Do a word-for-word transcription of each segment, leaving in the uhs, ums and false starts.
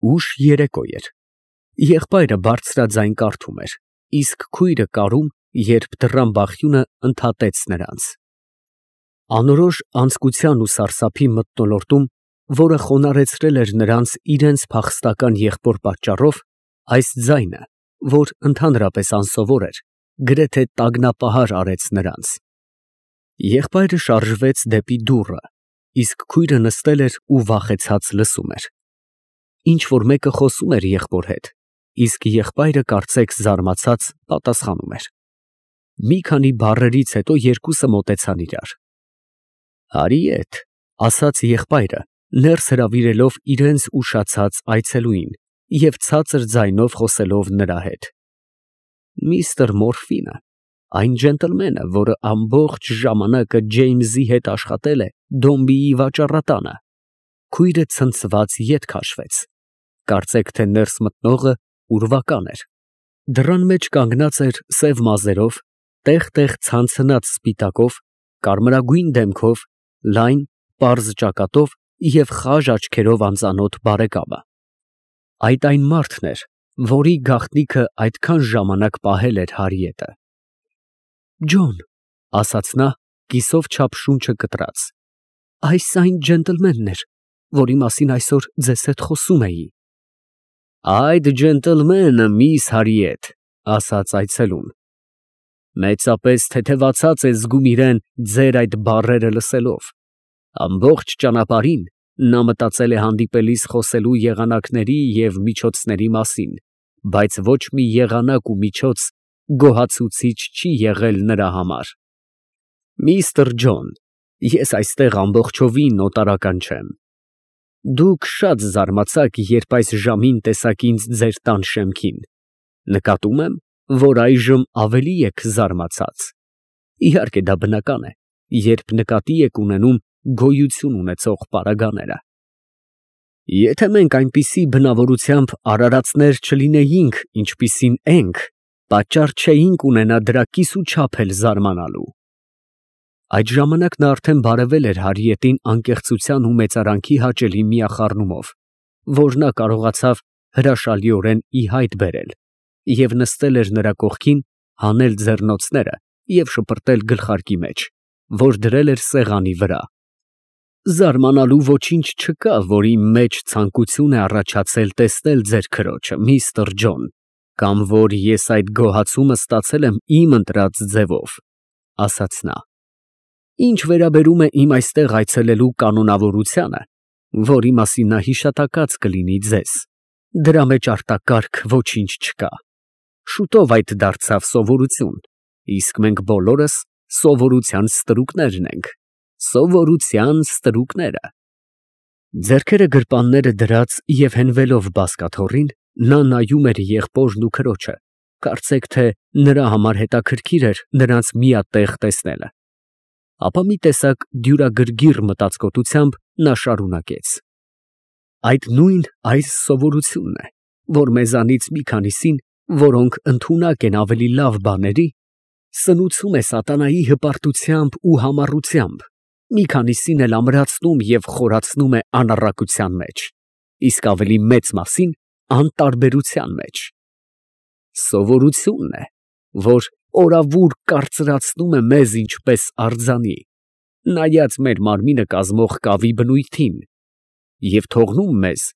Ուշ երեկո էր։ Եղբայրը բարձրաձայն կարդում էր, իսկ քույրը կարում, երբ դռան բախյունը ընդհատեց նրանց։ Անորոշ անձկության ու սարսափի մթնոլորտում, որը խոնարհեցրել էր նրանց իրենց փախստական եղբոր պատճառով, այս ձայնը, որ ընդհանրապես անսովոր էր, գրեթե տագնապահար արեց նրանց։ Եղբայրը շարժվեց դեպի դուռը, իսկ քույրը նստել էր ու վախեցած լսում էր։ Ինչ֊որ մեկը խոսում էր եղբոր հետ, իսկ եղբայրը կարծեք զարմացած պատասխանում էր։ Մի քանի բառերից հետո երկուսը մոտեցան իրար։ «Հարիեթ», ասաց եղբայրը, ներս հրավիրելով իրենց ուշացած այցելուին և ցածր ձայնով խոսելով նրա հետ։ «Միստր Մորֆինը, այն ջենտլմենը, որը ամբողջ ժամանակը Ջեյմսի հետ աշխատել է Դոմբիի վաճառատանը»։ Քույրը ցնցված ետ քաշվեց։ Կարծեք թե ներս մտնողը ուրվական էր։ Դռան մեջ կանգնած էր սև մազերով, տեղ֊տեղ ցանցնած սպիտակով, կարմրագույն դեմքով, լայն, պարզ ճակատով և խաժ աչքերով անծանոթ բարեկամը։ Այդ այն մարդն էր, որի գաղտնիքը այդքան ժամանակ պահել էր Հարիետը։ «Ջոն», ֊ ասաց նա, կիսով չափ շունչը կտրած, ֊ այս այն ջենտլմենն էր, որի մասին այսօր ձեզ հետ խոսում էի։ «Այդ ջենտլմենը, միս Հարիեթ», ֊ ասաց այցելուն, մեծապես թեթևացած է զգում իրան ձեր այդ բառերը լսելով։ Ամբողջ ճանապարհին նա մտածել է հանդիպելիս խոսելու եղանակների և միջոցների մասին, բայց ոչ մի եղանակ ու միջոց գոհացուցիչ չի եղել նրա համար։ Միստր Ջոն, ես այստեղ ամբողջովին օտարական չեմ։ Դուք շատ զարմացաք, երբ այս ժամին տեսաք ինձ ձեր տան շեմքին։ Նկատում եմ, որ այժմ ավելի եք զարմացած։ Իհարկե դա բնական է, երբ նկատի եք ունենում գոյություն ունեցող պարագաները։ Եթե մենք այնպիսի բնավորությամբ արարածներ չլինեինք, ինչպիսին ենք, պատճառ չէինք ունենա դրա կիսուչափ էլ զարմանալու։ Այդ ժամանակ նա արդեն բարևել էր Հարիետին անկեղծության ու մեծարանքի հաճելի միախառնումով, որ նա կարողացավ հրաշալիորեն ի հայտ բերել, և նստել էր նրա կողքին, հանել ձեռնոցները և շպրտել գլխարկի մեջ, որ դրել էր սեղանի վրա։ Զարմանալու ոչինչ չկա, որ իմ մեջ ցանկություն է առաջացել տեսնել ձեր քրոջը, միստր Ջոն, կամ որ ես այդ գոհացումը ստացել եմ իմ ընտրած ձևով, ֊ ասաց նա։ Ինչ վերաբերում է իմ այստեղ այցելելու կանոնավորությանը, որի մասին նա հիշատակած կլինի ձեզ, դրա մեջ արտակարգ ոչինչ չկա։ Շուտով այդ դարձավ սովորություն, իսկ մենք բոլորս սովորության ստրուկներն ենք, սովորության ստրուկները։ Ձեռքերը գրպանները դրած և հենվելով բազկաթոռին, նա նայում էր եղբորն ու քրոջը, կարծեք թե նրա համար հետաքրքիր էր նրանց միատեղ տեսնելը։ Ապա մի տեսակ դյուրագրգիռ մտածկոտությամբ նա շարունակեց. Այդ նույն այս սովորությունն է, որ մեզանից մի քանիսին, որոնք ընդունակ են ավելի լավ բաների, սնուցում է սատանայի հպարտությամբ ու համառությամբ, մի քանիսին էլ ամրացնում և խորացնում է անառակության մեջ, իսկ ավելի մեծ մասին անտարբերության մեջ։ Սովորությունն է, որ օրավուր կարծրացնում է մեզ ինչպես արձանի, նայած մեր մարմինը կազմող կավի բնույթին, և թողնում մեզ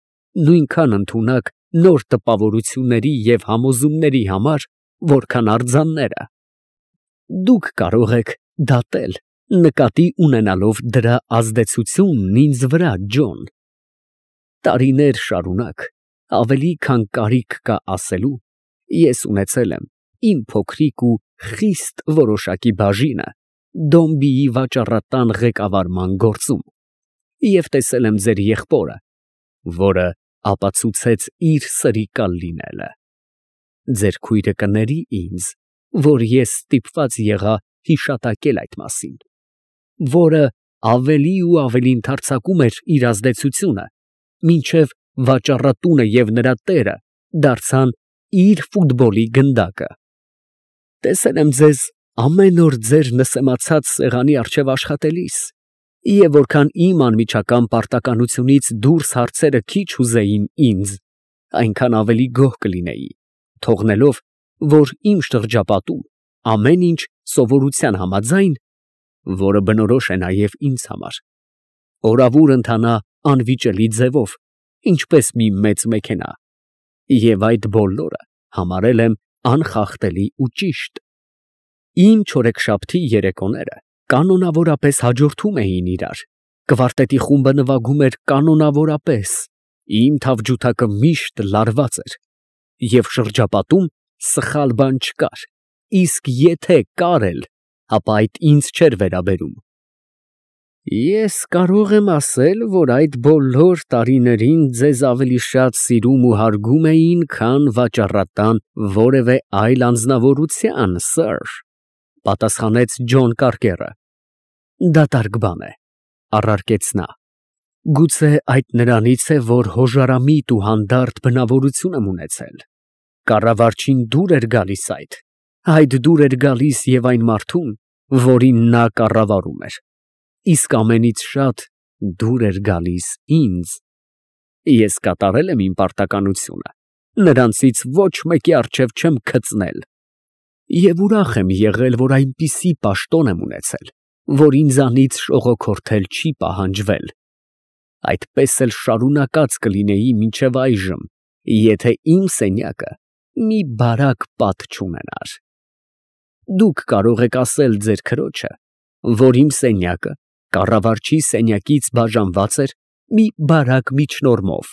նույնքան ընդունակ նոր տպավորությունների և համոզումների համար, որքան արձանները։ Դուք կարող եք դատել, նկատի ունենալով դրա ազդեցությունն ինձ վրա, Ջոն։ Տարիներ շարունակ, ավելի քան կարիք կա ասելու, ես ունեցել եմ իմ փոքրիկ ու խիստ որոշակի բաժինը Դոմբիի վաճառատան ղեկավարման գործում և տեսել եմ ձեր եղբորը, որը ապացուցեց իր սրիկալ լինելը։ Ձեր քույրը կների ինձ, որ ես ստիպված եղա հիշատակել այդ մասին, որը ավելի ու ավելի ընդարձակում էր իր ազդեցությունը, մինչև վաճառատունը և նրա տերը դարձան իր ֆուտբոլի գնդակը։ Տեսել եմ ձեզ ամեն օր ձեր նսեմացած սեղանի առջև աշխատելիս, և որքան իմ անմիջական պարտականությունից դուրս հարցերը քիչ հուզեին ինձ, այնքան ավելի գոհ կլինեի, թողնելով, որ իմ շրջապատում ամեն ինչ սովորության համաձայն, որը բնորոշ է նաև ինձ համար, օրավուր ընթանա անվիճելի ձևով, ինչպես մի մեծ մեքենա, և այդ բոլորը համարել եմ անխախտելի ու ճիշտ։ Իմ չորեքշաբթի երեկոները կանոնավորապես հաջորդում էին իրար, կվարտետի խումբը նվագում էր կանոնավորապես, իմ թավջութակը միշտ լարված էր, և շրջապատում սխալ բան չկար, իսկ եթե կար էլ, ապա այդ ինձ չէր վերաբերում։ Ես կարող եմ ասել, որ այդ բոլոր տարիներին ձեզ ավելի շատ սիրում ու հարգում էին, քան վաճառատան որևէ այլ անձնավորության, սըր, ֊ պատասխանեց Ջոն Կարկերը։ Դատարկ բան է, ֊ առարկեց նա, գուցե այդ նրանից է, որ հոժարամիտ ու հանդարտ բնավորություն եմ ունեցել, կառավարչին դուր էր գալիս այդ, այդ դուր էր գալիս և այն մարդուն, որին նա կառավարում էր, իսկ ամենից շատ դուր էր գալիս ինձ։ Ես կատարել եմ իմ պարտականությունը, նրանցից ոչ մեկի առջև չեմ քծնել, և ուրախ եմ եղել, որ այնպիսի պաշտոն եմ ունեցել, որ ինձանից շողոքորթել չի պահանջվել, այդպես էլ շարունակած կլինեի մինչև այժմ, եթե իմ սենյակը մի բարակ պատ չունենար։ Դուք կարող եք ասել ձեր քրոջը, որ իմ սենյակը կառավարչի սենյակից բաժանված էր մի բարակ միջնորմով։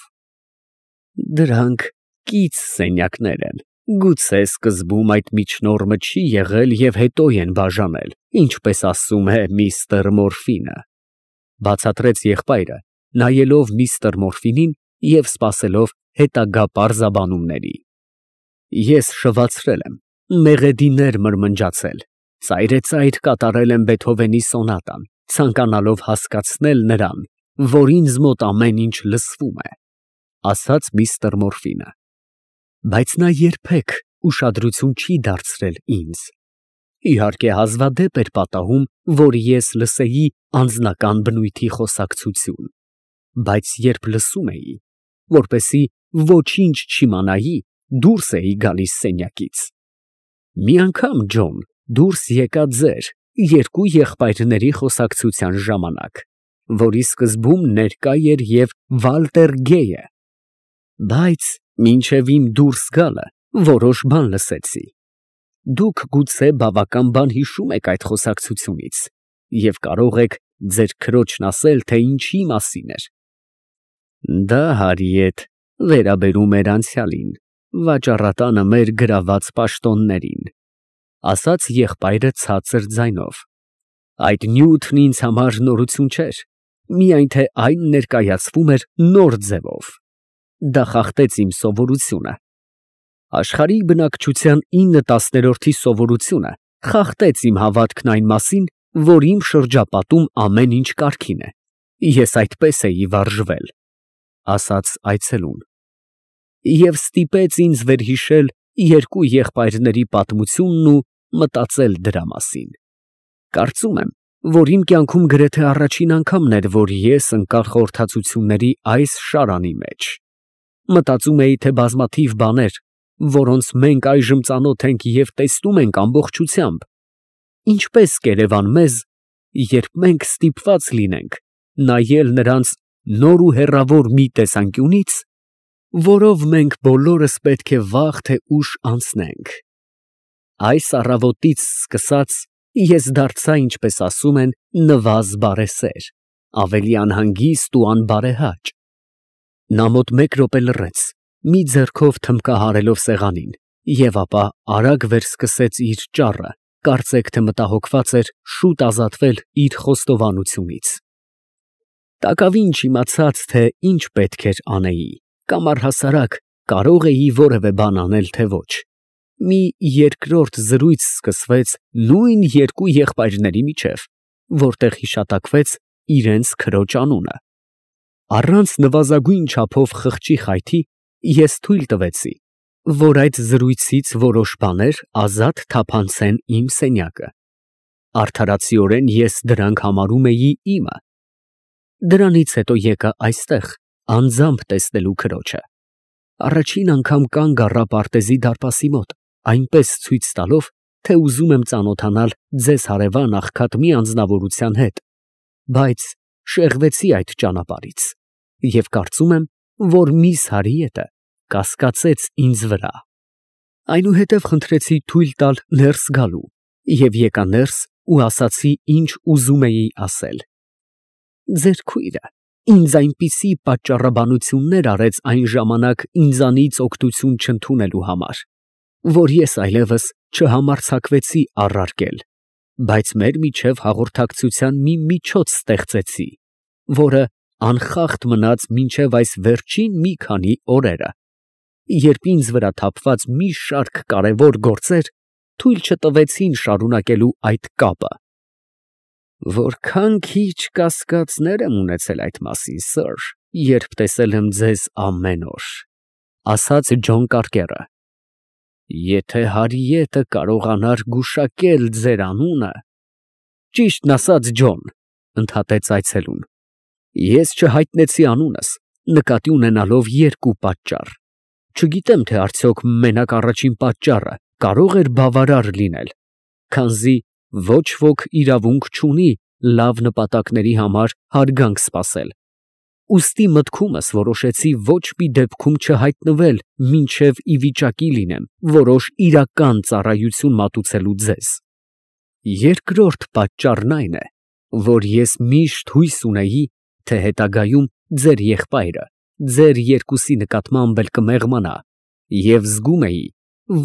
Դրանք կից սենյակներ են, գուցե սկզբում այդ միջնորմը չի եղել և հետո են բաժանել, ինչպես ասում է միստր Մորֆինը, ֊ բացատրեց եղբայրը, նայելով միստր Մորֆինին և սպասելով հետագա պարզաբանումների։ Ես շվացրել եմ, մեղեդիներ մրմնջացել, ծայրեցայր կատարել եմ Բեթհովենի սոնատան, ցանկանալով հասկացնել նրան, որ ինձ մոտ ամեն ինչ լսվում է, ֊ ասաց միստր Մորֆինը, բայց նա երբեք ուշադրություն չի դարձրել ինձ, իհարկե հազվադեպ էր պատահում, որ ես լսեի անձնական բնույթի խոսակցություն, բայց երբ լսում էի, որպեսզի ոչինչ չիմանայի, դուրս էի գալիս սենյակից։ Մի անգամ, Ջոն, դուրս եկա ձեր երկու եղբայրների խոսակցության ժամանակ, որի սկզբում ներկա էր և Վալտեր Գեյը, բայց մինչև իմ դուրս գալը որոշ բան լսեցի։ Դուք գուցե բավական բան հիշում եք այդ խոսակցությունից և կարող եք ձեր քրոջն ասել, թե ինչի մասին էր։ Դա, հարիետ, վերաբերում էր անցյալին, վաճառատանը մեր գրաված պաշտոններին, ֊ ասաց եղբայրը ցածր ձայնով։ Այդ նյութն ինձ համար նորություն չէր, միայն թե այն ներկայացվում էր նոր ձևով։ Դա խախտեց իմ սովորությունը։ Աշխարհի բնակչության ինը տասներորդի սովորությունը խախտեց իմ հավատքն այն մասին, որ իմ շրջապատում ամեն ինչ կարգին է, ես այդպես էի վարժվել, ֊ ասաց այցելուն, և ստիպեց ինձ վերհիշել երկու եղբայրների պատմությունն ու մտածել դրա մասին։ Կարծում եմ, որ իմ կյանքում գրեթե առաջին անգամն էր, որ ես ընկա խորհրդածությունների այս շարանի մեջ։ Մտածում էի, թե բազմաթիվ բաներ, որոնց մենք այժմ ծանոթ ենք և տեսնում ենք ամբողջությամբ, ինչպես կերևան մեզ, երբ մենք ստիպված լինենք նայել նրանց նոր ու հեռավոր մի տեսանկյունից, որով մենք բոլորս պետք է վաղ թե ուշ անցնենք։ Այս առավոտից սկսած ես դարձա, ինչպես ասում են, նվազ բարեսեր, ավելի անհանգիստ ու անբարեհաճ։ Նա մոտ մեկ րոպե լռեց, մի ձեռքով թմբկահարելով սեղանին, և ապա արագ վերսկսեց իր ճառը, կարծեք թե մտահոգված էր շուտ ազատվել իր խոստովանությունից։ Տակավին չիմացած, թե ինչ պետք էր անեի, կամ առհասարակ կարող էի որևէ բան անել, թե ոչ, մի երկրորդ զրույց սկսվեց նույն երկու եղբայրների միջև, որտեղ հիշատակվեց իրենց քրոջ անունը։ Առանց նվազագույն չափով խղճի խայթի ես թույլ տվեցի, որ այդ զրույցից որոշ բաներ ազատ թափանցեն իմ սենյակը։ Արդարացիորեն ես դրանք համարում էի իմը։ Դրանից հետո եկա այստեղ անձամբ տեսնելու քրոջը։ Առաջին անգամ կանգ առա պարտեզի դարպասի մոտ, այնպես ցույց տալով, թե ուզում եմ ծանոթանալ ձեզ հարևան աղքատ մի անձնավորության հետ, բայց շեղվեցի այդ ճանապարհից և կարծում եմ, որ միս Հարիետը կասկածեց ինձ վրա։ Այնուհետև խնդրեցի թույլ տալ ներս գալու և եկա ներս ու ասացի, ինչ ուզում էի ասել։ Ձեր քույրը ինձ այնպիսի պատճառաբանություններ արեց այն ժամանակ ինձանից օգնություն չընդունելու համար, որ ես այլևս չհամարձակվեցի առարկել, բայց մեր միջև հաղորդակցության մի միջոց ստեղծեցի, որը անխախտ մնաց մինչև այս վերջին մի քանի օրերը, երբ ինձ վրա թափված մի շարք կարևոր գործեր թույլ չտվեցին շարունակելու այդ կապը։ Որքան քիչ կասկածներ եմ ունեցել այդ մասին, սըր, երբ տեսել եմ ձեզ ամեն օր, ֊ ասաց Ջոն Կարկերը։ Եթե Հարիետը կարողանար գուշակել ձեր անունը… ֊ Ճիշտն ասած, Ջոն, ֊ ընդհատեց այցելուն, ֊ ես չհայտնեցի անունս, նկատի ունենալով երկու պատճառ. չգիտեմ, թե արդյոք մենակ առաջին պատճառը կարող էր բավարար լինել, քանզի ոչ ոք իրավունք չունի լավ նպատակների համար հարգանք սպասել, ուստի մտքումս որոշեցի ոչ մի դեպքում չհայտնվել, մինչև ի վիճակի լինեմ որոշ իրական ծառայություն մատուցելու ձեզ։ Երկրորդ պատճառն այն է, որ ես միշտ հույս ունեի, թե հետագայում ձեր եղբայրը ձեր երկուսի նկատմամբ էլ կմեղմանա, և զգում էի,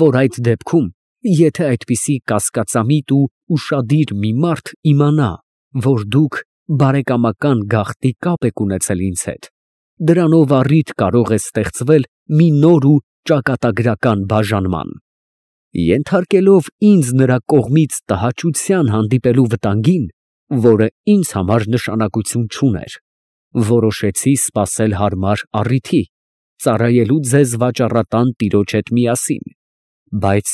որ այդ դեպքում, եթե այդպիսի կասկածամիտ ու ուշադիր մի մարդ իմանա, որ դուք բարեկամական գաղտնի կապ եք ունեցել ինձ հետ, դրանով առիթ կարող է ստեղծվել մի նոր ու ճակատագրական բաժանման։ Ենթարկելով ինձ նրա կողմից տհաճության հանդիպելու վտանգին, որը ինձ համար նշանակություն չուներ, որոշեցի սպասել հարմար առիթի, ծառայելու ձեզ վաճառատան տիրոջ հետ միասին, բայց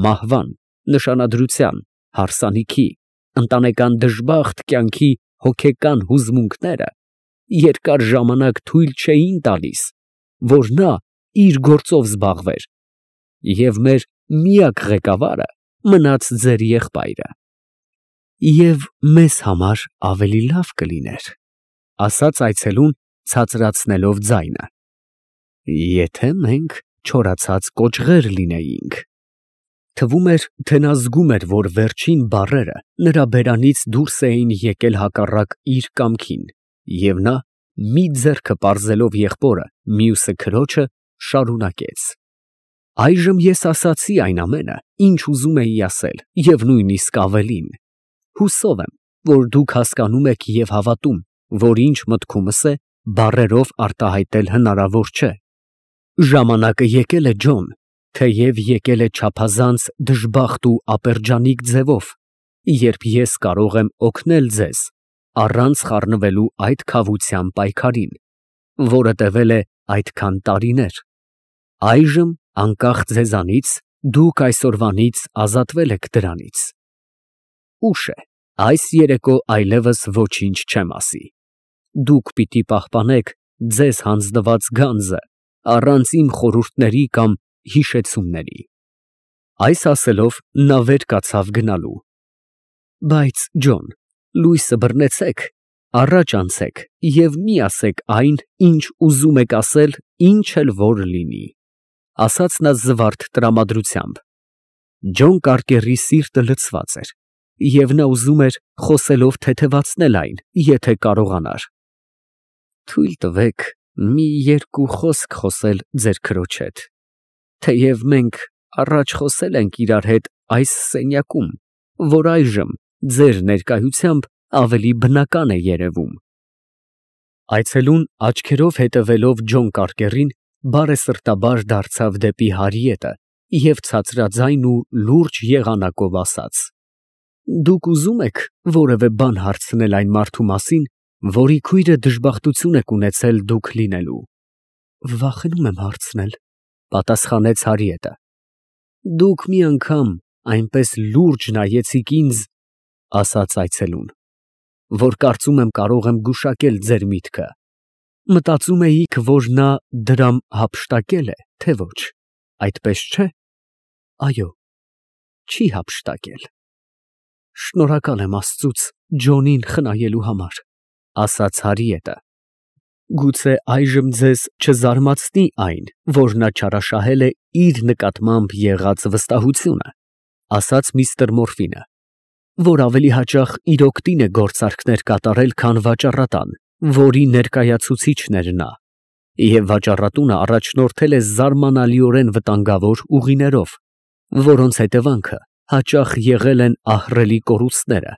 մահվան, նշանադրության, հարսանիքի, ընտանեկան դժբախտ կյանքի հոգեկան հուզմունքները երկար ժամանակ թույլ չէին տալիս, որ նա իր գործով զբաղվեր, և մեր միակ ղեկավարը մնաց ձեր եղբայրը։ Եվ մեզ համար ավելի լավ կլիներ, ֊ ասաց այցելուն, ցածրացնելով ձայնը, ֊ եթե մենք չորացած կոճղեր լինեինք։ Թվում էր, թե նա զգում էր, որ վերջին բառերը նրա բերանից դուրս էին եկել հակառակ իր կամքին, և նա, մի ձեռքը պարզելով եղբորը, մյուսը քրոջը, շարունակեց. Այժմ ես ասացի այն ամենը, ինչ ուզում էի ասել, և նույնիսկ ավելին. հուսով եմ, որ դուք հասկանում եք և հավատում, որ ինչ մտքումս է, բառերով արտահայտել հնարավոր չէ։ Ժամանակը եկել է, Ջոն, թեև եկել է չափազանց դժբախտ ու ապերջանիկ ձևով, երբ ես կարող եմ օգնել ձեզ առանց խառնվելու այդ քավության պայքարին, որը տևել է այդքան տարիներ։ Այժմ, անկախ ձեզանից, դուք այսօրվանից ազատվել եք դրանից։ Ուշ է, այս երեկո այլևս ոչինչ չեմ ասի։ Դուք պիտի պահպանեք ձեզ հանձնված գանձը առանց իմ խորհուրդների կամ հիշեցումների։ Այս ասելով, նա վեր կացավ գնալու։ Բայց, Ջոն, լույսը բռնեցեք, առաջ անցեք և մի ասեք այն, ինչ ուզում եք ասել, ինչ էլ որ լինի, ֊ ասաց նա զվարթ տրամադրությամբ։ Ջոն Կարկերի սիրտը լցված էր, և նա ուզում էր խոսելով թեթևացնել այն, եթե կարողանար։ Թույլ տվեք մի երկու խոսք խոսել ձեր քրոջ հետ, թեև մենք առաջ խոսել ենք իրար հետ այս սենյակում, որ այժմ ձեր ներկայությամբ ավելի բնական է երևում։ Այցելուն, աչքերով հետևելով Ջոն Կարկերին, բարեսրտաբար դարձավ դեպի Հարիետը և ցածրաձայն ու լուրջ եղանակով ասաց. Դուք ուզում եք որևէ բան հարցնել այն մարդու մասին, որի քույրը դժբախտություն եք ունեցել դուք լինելու։ Վախենում եմ հարցնել, ֊ պատասխանեց Հարիետը։ Դուք մի անգամ այնպես լուրջ նայեցիք ինձ, ֊ ասաց այցելուն, ֊ որ կարծում եմ կարող եմ գուշակել ձեր միտքը։ Մտածում էիք, որ նա դրամ հափշտակել է, թե ոչ, այդպես չէ՞։ Այո, չի հափշտակել։ Շնորհակալ եմ Աստծուց Ջոնին խնայելու համար, ասաց Հարիետը։ Գուցե այժմ ձեզ չզարմացնի այն, որ նա չարաշահել է իր նկատմամբ եղած վստահությունը, ասաց միստր Մորֆինը, որ ավելի հաճախ իր օգտին է գործարքներ կատարել, քան վաճառատան, որի ներկայացուցիչն էր նա, և վաճառատունը առաջնորդել է զարմանալիորեն վտանգավոր ուղիներով, որոնց հետևանքը հաճախ եղել են ահռելի կորուստները,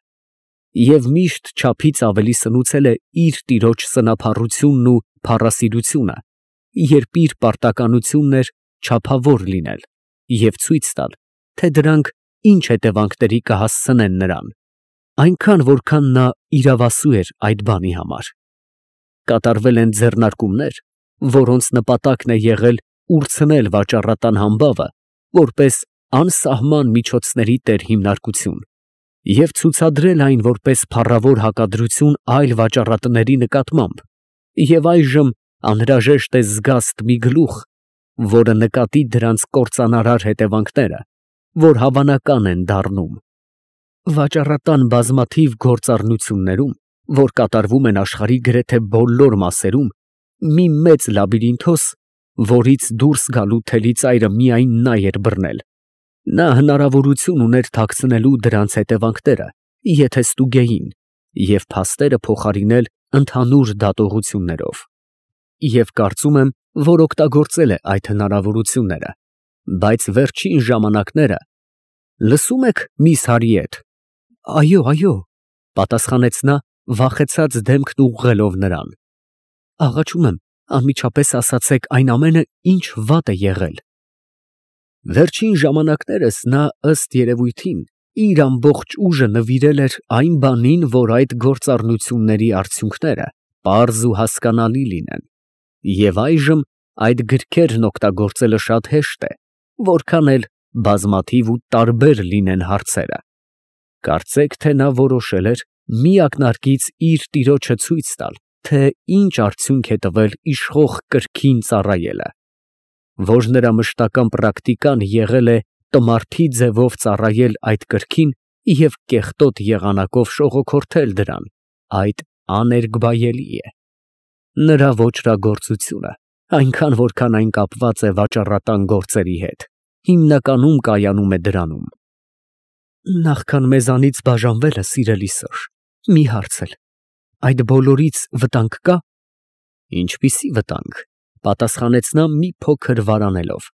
և միշտ չափից ավելի սնուցել է իր տիրոջ սնափառությունն ու փառասիրությունը, երբ իր պարտականությունն էր չափավոր լինել և ցույց տալ, թե դրանք ինչ հետևանքների կհասցնեն նրան, այնքան, որքան նա իրավասու էր այդ բանի համար։ Կատարվել են ձեռնարկումներ, որոնց նպատակն է եղել ուրցնել վաճառատան համբավը որպես անսահման միջոցների տերհիմնարկություն և ցուցադրել այն որպես փառավոր հակադրություն այլ վաճառատների նկատմամբ, և այժմ անհրաժեշտ է զգաստ մի գլուխ, որը նկատի դրանց կործանարար հետևանքները, որ հավանական են դառնում։ Վաճառատան բազմաթիվ գործառնություններում, որ կատարվում են աշխարհի գրեթե բոլոր մասերում, մի մեծ լաբիրինթոս, որից դուրս գալու թելիծայրը միայն նա էր բռնել, նա հնարավորություն ուներ թաքցնելու դրանց հետևանքները, եթե ստուգեին, և փաստերը փոխարինել ընդհանուր դատողություններով։ Եվ կարծում եմ, որ օգտագործել է այդ հնարավորությունները, բայց վերջին ժամանակները… Լսո՞ւմ եք, միս Հարիեթ։ Այո, այո, պատասխանեց նա, վախեցած դեմքն ուղղելով նրան։ Աղաչում եմ, անմիջապես ասացեք այն ամենը, ինչ վատ է եղել։ Վերջին ժամանակներս նա ըստ երևույթին իր ամբողջ ուժը նվիրել էր այն բանին, որ այդ գործառնությունների արդյունքները պարզ ու հասկանալի լինեն, և այժմ այդ գրքերն օգտագործելը շատ հեշտ է, որքան էլ բազմաթիվ ու տարբեր լինեն հարցերը։ Կարծեք, թե նա որոշել էր մի ակնարկից իր տիրոջը ցույց տալ, թե ինչ արդյունք է տվել իշխող կրքին ծառայելը, որ նրա մշտական պրակտիկան եղել է տմարդի ձևով ծառայել այդ կրքին և կեղտոտ եղանակով շողոքորթել դրան, այդ աներկբայելի է։ Նրա ոճրագործությունը, այնքան որքան այն կապված է վաճառատան գործերի հետ, հիմնականում կայանում է դրանում։ Նախքան մեզանից բաժանվելը, սիրելի սըր, մի հարց էլ, այդ բոլորից վտանգ կա։ Ինչպիսի վտանգ, պատասխանեց նա մի փոքր վարանելով։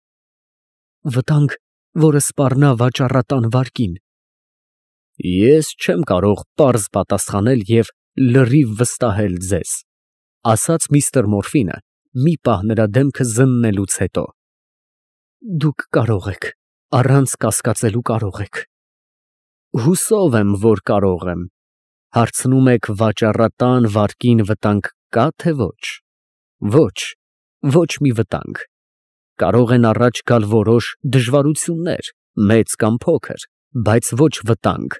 Վտանգ, որը սպառնա վաճառատան վարկին։ Ես չեմ կարող պարզ պատասխանել և լրիվ վստահել ձեզ, ասաց միստր Մորֆինը, մի պահ նրա դեմքը զննելուց հետո։ Դուք կարող եք, առանց կասկածելու կարող եք։ Հուսով եմ, որ կարող եմ։ Հարցնում եք վաճառատան վարկին վտանգ կա, թե ոչ։ Ոչ, ոչ մի վտանգ։ Կարող են առաջ գալ որոշ դժվարություններ, մեծ կամ փոքր, բայց ոչ վտանգ։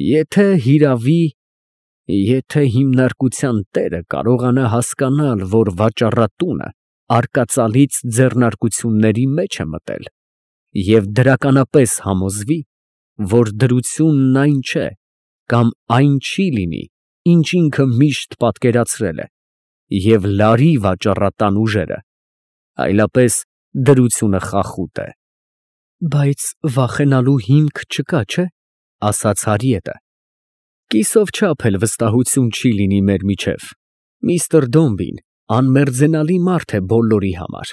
Եթե հիրավի… Եթե հիմնարկության տերը կարողանա հասկանալ, որ վաճառատունը արկածալից ձեռնարկությունների մեջ է մտել և դրականապես համոզվի, որ դրությունն այն չէ կամ այն չի լինի, ինչ ինքը միշտ պատկերացրել է, և լարի վաճառատան ուժերը, այլապես դրությունը խախուտ է։ Բայց վախենալու հիմք չկա, չէ՞, ասաց Հարիետը։ Կիսով չափ էլ վստահություն չի լինի մեր միջև։ Միստր Դոմբին անմերձենալի մարդ է բոլորի համար։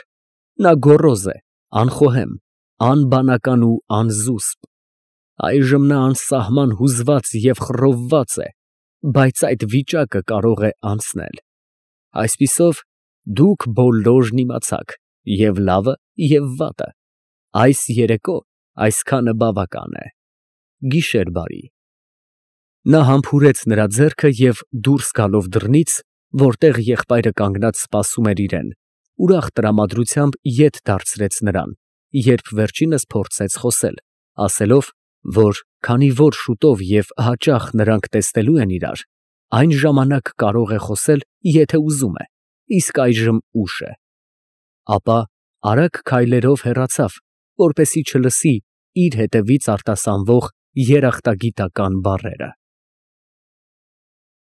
Նա գոռոզ է, անխոհեմ, անբանական ու անզուսպ։ Այժմ նա անսահման հուզված և խռովված է, բայց այդ վիճակը կարող է անցնել։ Այսպիսով, դուք բոլորն իմացաք և՛ լավը, և՛ վատը։ Այս երեկո այսքանը բավական է։ Գիշեր բարի։ Նա համբուրեց նրա ձեռքը և դուրս գալով դռնից, որտեղ եղբայրը կանգնած սպասում էր իրան, ուրախ տրամադրությամբ ետ դարձրեց նրան, երբ վերջինս փորձեց խոսել, ասելով, որ քանի որ շուտով և հաճախ նրանք տեսնելու են իրար, այն ժամանակ կարող է խոսել, եթե ուզում է, իսկ այժմ ուշ է։ Ապա արագ քայլերով հեռացավ, որպեսզի չլսի իր հետևից արտասանվող երախտագիտական բառերը։